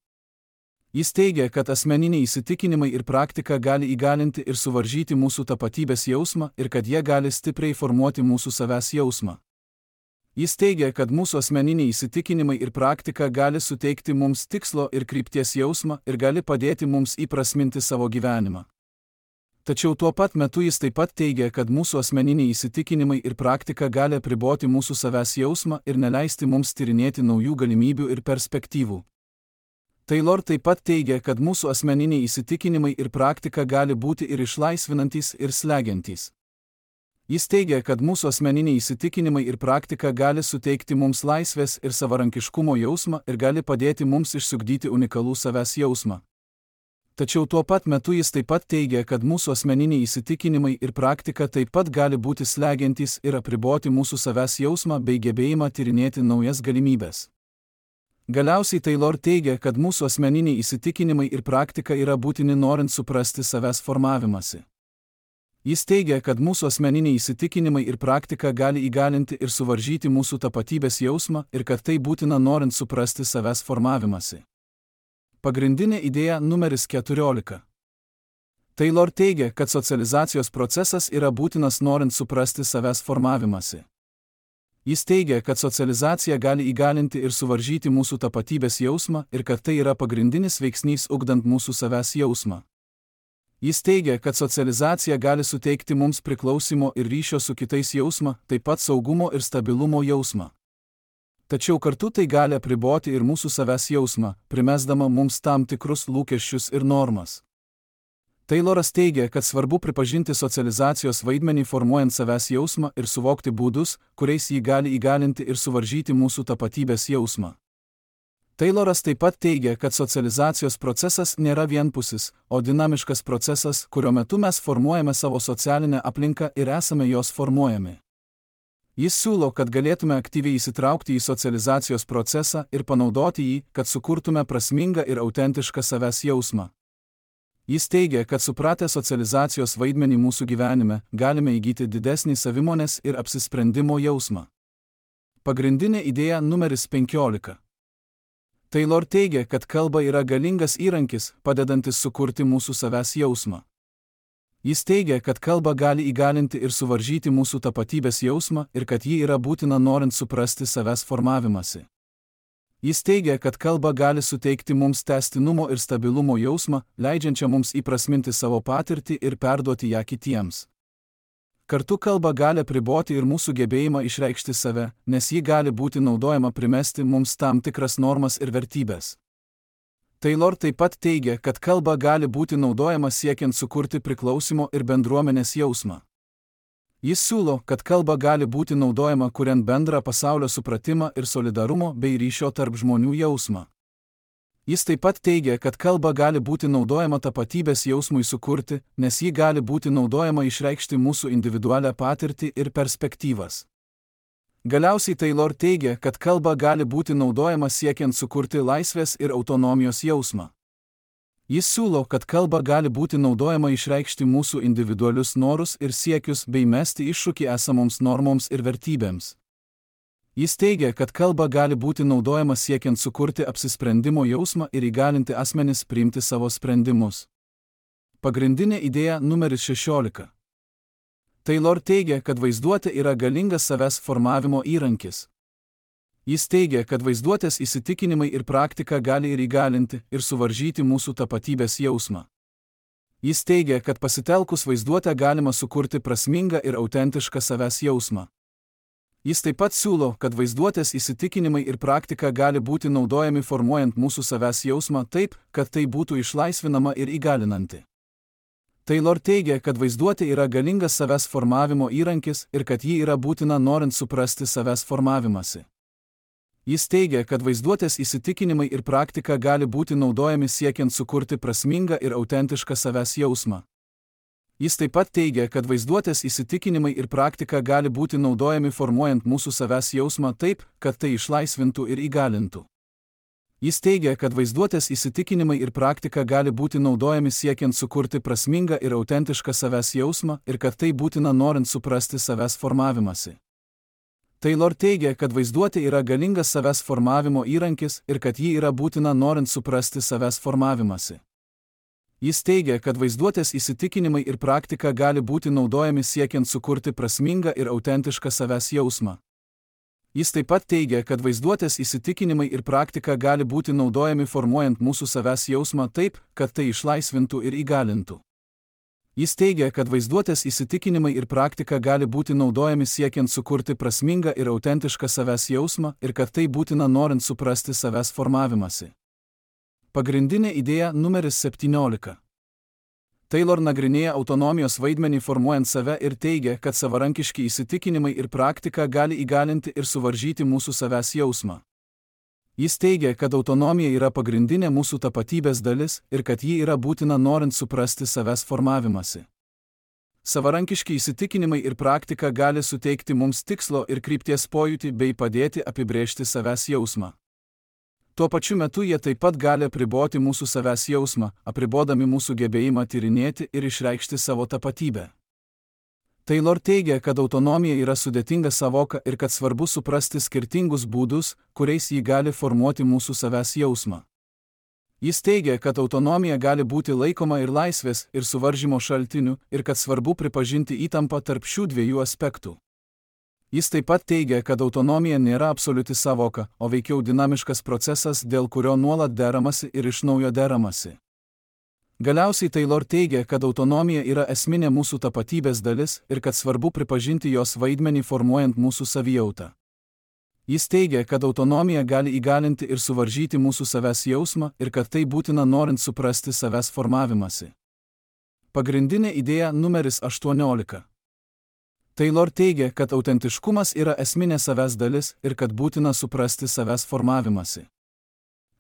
Jis teigia, kad asmeniniai įsitikinimai ir praktika gali įgalinti ir suvaržyti mūsų tapatybės jausmą ir kad jie gali stipriai formuoti mūsų savęs jausmą. Jis teigia, kad mūsų asmeniniai įsitikinimai ir praktika gali suteikti mums tikslo ir krypties jausmą ir gali padėti mums įprasminti savo gyvenimą. Tačiau tuo pat metu jis taip pat teigia, kad mūsų asmeniniai įsitikinimai ir praktika gali apriboti mūsų savęs jausmą ir neleisti mums tyrinėti naujų galimybių ir perspektyvų. Taylor taip pat teigia, kad mūsų asmeniniai įsitikinimai ir praktika gali būti ir išlaisvinantys, ir slegiantys. Jis teigia, kad mūsų asmeniniai įsitikinimai ir praktika gali suteikti mums laisvės ir savarankiškumo jausmą ir gali padėti mums išsiugdyti unikalų savęs jausmą. Tačiau tuo pat metu jis taip pat teigia, kad mūsų asmeniniai įsitikinimai ir praktika taip pat gali būti slegiantys ir apriboti mūsų savęs jausmą bei gebėjimą tyrinėti naujas galimybes. Galiausiai Taylor teigia, kad mūsų asmeniniai įsitikinimai ir praktika yra būtini norint suprasti savęs formavimąsi. Jis teigia, kad mūsų asmeniniai įsitikinimai ir praktika gali įgalinti ir suvaržyti mūsų tapatybės jausmą ir kad tai būtina norint suprasti savęs formavimąsi. Pagrindinė idėja numeris 14. Taylor teigia, kad socializacijos procesas yra būtinas norint suprasti savęs formavimąsi. Jis teigia, kad socializacija gali įgalinti ir suvaržyti mūsų tapatybės jausmą ir kad tai yra pagrindinis veiksnys ugdant mūsų savęs jausmą. Jis teigia, kad socializacija gali suteikti mums priklausimo ir ryšio su kitais jausmą, taip pat saugumo ir stabilumo jausmą. Tačiau kartu tai gali apriboti ir mūsų savęs jausmą, primesdama mums tam tikrus lūkesčius ir normas. Tayloras teigia, kad svarbu pripažinti socializacijos vaidmenį formuojant savęs jausmą ir suvokti būdus, kuriais jį gali įgalinti ir suvaržyti mūsų tapatybės jausmą. Tayloras taip pat teigia, kad socializacijos procesas nėra vienpusis, o dinamiškas procesas, kurio metu mes formuojame savo socialinę aplinką ir esame jos formuojami. Jis siūlo, kad galėtume aktyviai įsitraukti į socializacijos procesą ir panaudoti jį, kad sukurtume prasmingą ir autentišką savęs jausmą. Jis teigia, kad supratę socializacijos vaidmenį mūsų gyvenime, galime įgyti didesnį savimonės ir apsisprendimo jausmą. Pagrindinė idėja numeris 15. Taylor teigia, kad kalba yra galingas įrankis, padedantis sukurti mūsų savęs jausmą. Jis teigia, kad kalba gali įgalinti ir suvaržyti mūsų tapatybės jausmą ir kad ji yra būtina norint suprasti savęs formavimąsi. Jis teigia, kad kalba gali suteikti mums tęstinumo ir stabilumo jausmą, leidžiančią mums įprasminti savo patirtį ir perduoti ją kitiems. Kartu kalba gali apriboti ir mūsų gebėjimą išreikšti save, nes ji gali būti naudojama primesti mums tam tikras normas ir vertybės. Taylor taip pat teigia, kad kalba gali būti naudojama siekiant sukurti priklausimo ir bendruomenės jausmą. Jis siūlo, kad kalba gali būti naudojama kuriant bendrą pasaulio supratimą ir solidarumo bei ryšio tarp žmonių jausmą. Jis taip pat teigia, kad kalba gali būti naudojama tapatybės jausmui sukurti, nes ji gali būti naudojama išreikšti mūsų individualią patirtį ir perspektyvas. Galiausiai Taylor teigia, kad kalba gali būti naudojama siekiant sukurti laisvės ir autonomijos jausmą. Jis siūlo, kad kalba gali būti naudojama išreikšti mūsų individualius norus ir siekius bei mesti iššūkį esamoms normoms ir vertybėms. Jis teigia, kad kalba gali būti naudojama siekiant sukurti apsisprendimo jausmą ir įgalinti asmenis priimti savo sprendimus. Pagrindinė idėja numeris 16. Taylor teigia, kad vaizduotė yra galingas savęs formavimo įrankis. Jis teigia, kad vaizduotės įsitikinimai ir praktika gali ir įgalinti, ir suvaržyti mūsų tapatybės jausmą. Jis teigia, kad pasitelkus vaizduotę galima sukurti prasmingą ir autentišką savęs jausmą. Jis taip pat siūlo, kad vaizduotės įsitikinimai ir praktika gali būti naudojami formuojant mūsų savęs jausmą taip, kad tai būtų išlaisvinama ir įgalinanti. Taylor teigia, kad vaizduotė yra galingas savęs formavimo įrankis ir kad ji yra būtina norint suprasti savęs formavimąsi. Jis teigia, kad vaizduotės įsitikinimai ir praktika gali būti naudojami siekiant sukurti prasmingą ir autentišką savęs jausmą. Jis taip pat teigia, kad vaizduotės įsitikinimai ir praktika gali būti naudojami formuojant mūsų savęs jausmą taip, kad tai išlaisvintų ir įgalintų. Jis teigia, kad vaizduotės įsitikinimai ir praktika gali būti naudojami siekiant sukurti prasmingą ir autentišką savęs jausmą ir kad tai būtina norint suprasti savęs formavimąsi. Taylor teigia, kad vaizduotė yra galingas savęs formavimo įrankis ir kad ji yra būtina norint suprasti savęs formavimąsi. Jis teigia, kad vaizduotės įsitikinimai ir praktika gali būti naudojami siekiant sukurti prasmingą ir autentišką savęs jausmą. Jis taip pat teigia, kad vaizduotės įsitikinimai ir praktika gali būti naudojami formuojant mūsų savęs jausmą taip, kad tai išlaisvintų ir įgalintų. Jis teigia, kad vaizduotės įsitikinimai ir praktika gali būti naudojami siekiant sukurti prasmingą ir autentišką savęs jausmą ir kad tai būtina norint suprasti savęs formavimąsi. Pagrindinė idėja numeris 17. Taylor nagrinėja autonomijos vaidmenį formuojant save ir teigia, kad savarankiški įsitikinimai ir praktika gali įgalinti ir suvaržyti mūsų savęs jausmą. Jis teigia, kad autonomija yra pagrindinė mūsų tapatybės dalis ir kad ji yra būtina norint suprasti savęs formavimąsi. Savarankiški įsitikinimai ir praktika gali suteikti mums tikslo ir krypties pojūtį bei padėti apibrėžti savęs jausmą. Tuo pačiu metu jie taip pat gali apriboti mūsų savęs jausmą, apribodami mūsų gebėjimą tyrinėti ir išreikšti savo tapatybę. Taylor teigia, kad autonomija yra sudėtinga savoka ir kad svarbu suprasti skirtingus būdus, kuriais ji gali formuoti mūsų savęs jausmą. Jis teigia, kad autonomija gali būti laikoma ir laisvės, ir suvaržymo šaltiniu, ir kad svarbu pripažinti įtampą tarp šių dviejų aspektų. Jis taip pat teigia, kad autonomija nėra absoliuti savoka, o veikiau dinamiškas procesas, dėl kurio nuolat deramasi ir iš naujo deramasi. Galiausiai Taylor teigia, kad autonomija yra esminė mūsų tapatybės dalis ir kad svarbu pripažinti jos vaidmenį formuojant mūsų savijautą. Jis teigia, kad autonomija gali įgalinti ir suvaržyti mūsų savęs jausmą ir kad tai būtina norint suprasti savęs formavimąsi. Pagrindinė idėja numeris 18. Taylor teigia, kad autentiškumas yra esminė savęs dalis ir kad būtina suprasti savęs formavimąsi.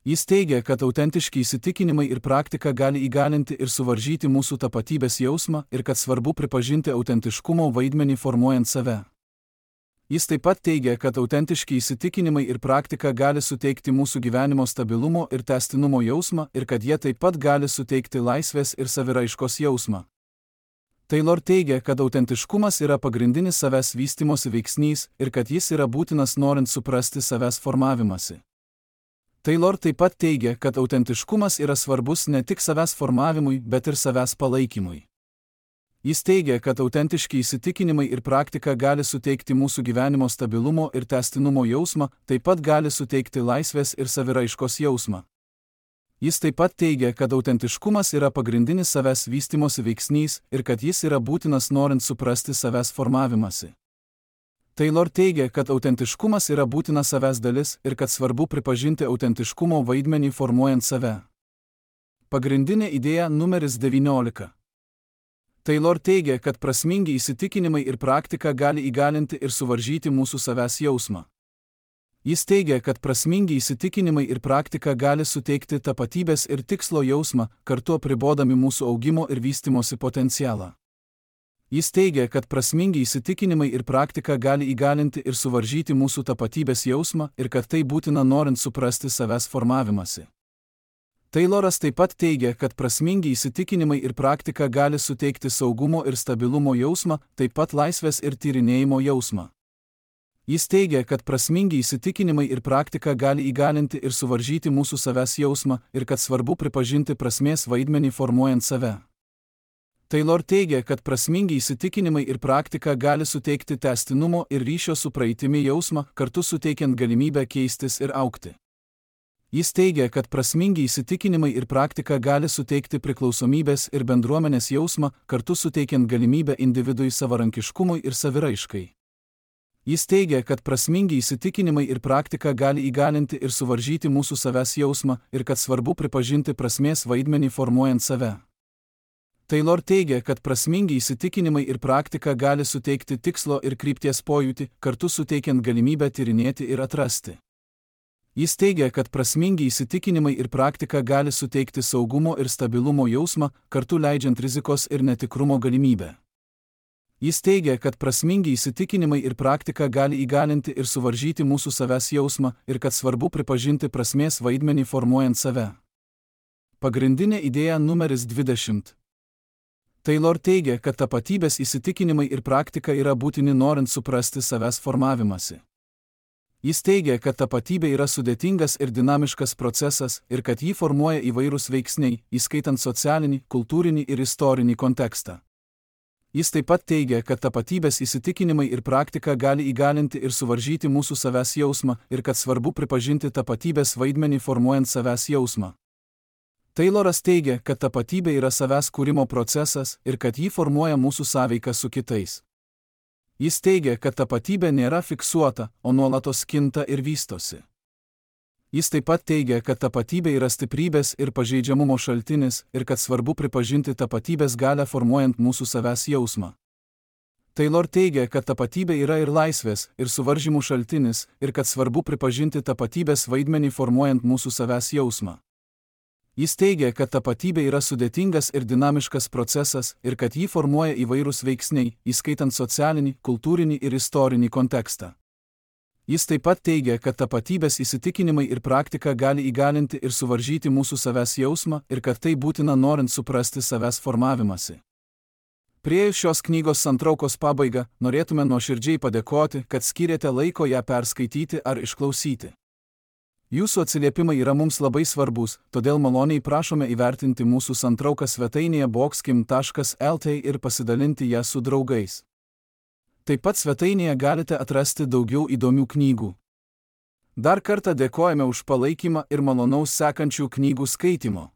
Jis teigia, kad autentiški įsitikinimai ir praktika gali įgalinti ir suvaržyti mūsų tapatybės jausmą ir kad svarbu pripažinti autentiškumo vaidmenį formuojant save. Jis taip pat teigia, kad autentiški įsitikinimai ir praktika gali suteikti mūsų gyvenimo stabilumo ir tęstinumo jausmą ir kad jie taip pat gali suteikti laisvės ir saviraiškos jausmą. Taylor teigia, kad autentiškumas yra pagrindinis savęs vystymosi veiksnys ir kad jis yra būtinas norint suprasti savęs formavimąsi. Taylor taip pat teigia, kad autentiškumas yra svarbus ne tik savęs formavimui, bet ir savęs palaikymui. Jis teigia, kad autentiški įsitikinimai ir praktika gali suteikti mūsų gyvenimo stabilumo ir tęstinumo jausmą, taip pat gali suteikti laisvės ir saviraiškos jausmą. Jis taip pat teigia, kad autentiškumas yra pagrindinis savęs vystymosi veiksnys ir kad jis yra būtinas norint suprasti savęs formavimąsi. Taylor teigia, kad autentiškumas yra būtina savęs dalis ir kad svarbu pripažinti autentiškumo vaidmenį formuojant save. Pagrindinė idėja numeris 19. Taylor teigia, kad prasmingi įsitikinimai ir praktika gali įgalinti ir suvaržyti mūsų savęs jausmą. Jis teigia, kad prasmingi įsitikinimai ir praktika gali suteikti tapatybės ir tikslo jausmą, kartu apribodami mūsų augimo ir vystymosi potencialą. Jis teigia, kad prasmingi įsitikinimai ir praktika gali įgalinti ir suvaržyti mūsų tapatybės jausmą ir kad tai būtina norint suprasti savęs formavimąsi. Tayloras taip pat teigia, kad prasmingi įsitikinimai ir praktika gali suteikti saugumo ir stabilumo jausmą, taip pat laisvės ir tyrinėjimo jausmą. Jis teigia, kad prasmingi įsitikinimai ir praktika gali įgalinti ir suvaržyti mūsų savęs jausmą ir kad svarbu pripažinti prasmės vaidmenį formuojant save. Taylor teigia, kad prasmingi įsitikinimai ir praktika gali suteikti tęstinumo ir ryšio su praeitimi jausmą, kartu suteikiant galimybę keistis ir augti. Jis teigia, kad prasmingi įsitikinimai ir praktika gali suteikti priklausomybės ir bendruomenės jausmą, kartu suteikiant galimybę individui savarankiškumui ir saviraiškai. Jis teigia, kad prasmingi įsitikinimai ir praktika gali įgalinti ir suvaržyti mūsų savęs jausmą ir kad svarbu pripažinti prasmės vaidmenį formuojant save. Taylor teigia, kad prasmingi įsitikinimai ir praktika gali suteikti tikslo ir krypties pojūtį, kartu suteikiant galimybę tyrinėti ir atrasti. Jis teigia, kad prasmingi įsitikinimai ir praktika gali suteikti saugumo ir stabilumo jausmą, kartu leidžiant rizikos ir netikrumo galimybę. Jis teigia, kad prasmingi įsitikinimai ir praktika gali įgalinti ir suvaržyti mūsų savęs jausmą ir kad svarbu pripažinti prasmės vaidmenį formuojant save. Pagrindinė idėja numeris 20. Taylor teigia, kad tapatybės įsitikinimai ir praktika yra būtini norint suprasti savęs formavimąsi. Jis teigia, kad tapatybė yra sudėtingas ir dinamiškas procesas ir kad jį formuoja įvairūs veiksniai, įskaitant socialinį, kultūrinį ir istorinį kontekstą. Jis taip pat teigia, kad tapatybės įsitikinimai ir praktika gali įgalinti ir suvaržyti mūsų savęs jausmą ir kad svarbu pripažinti tapatybės vaidmenį formuojant savęs jausmą. Tayloras teigia, kad tapatybė yra savęs kūrimo procesas ir kad jį formuoja mūsų sąveika su kitais. Jis teigia, kad tapatybė nėra fiksuota, o nuolatos kinta ir vystosi. Jis taip pat teigia, kad tapatybė yra stiprybės ir pažeidžiamumo šaltinis ir kad svarbu pripažinti tapatybės galią formuojant mūsų savęs jausmą. Taylor teigia, kad tapatybė yra ir laisvės, ir suvaržymų šaltinis ir kad svarbu pripažinti tapatybės vaidmenį formuojant mūsų savęs jausmą. Jis teigia, kad tapatybė yra sudėtingas ir dinamiškas procesas ir kad jį formuoja įvairūs veiksniai, įskaitant socialinį, kultūrinį ir istorinį kontekstą. Jis taip pat teigia, kad tapatybės įsitikinimai ir praktika gali įgalinti ir suvaržyti mūsų savęs jausmą ir kad tai būtina norint suprasti savęs formavimąsi. Priėjus šios knygos santraukos pabaigą, norėtume nuoširdžiai padėkoti, kad skyrėte laiko ją perskaityti ar išklausyti. Jūsų atsiliepimai yra mums labai svarbus, todėl maloniai prašome įvertinti mūsų santrauką svetainėje boxkim.lt ir pasidalinti ją su draugais. Taip pat svetainėje galite atrasti daugiau įdomių knygų. Dar kartą dėkojame už palaikymą ir malonaus sekančių knygų skaitimo.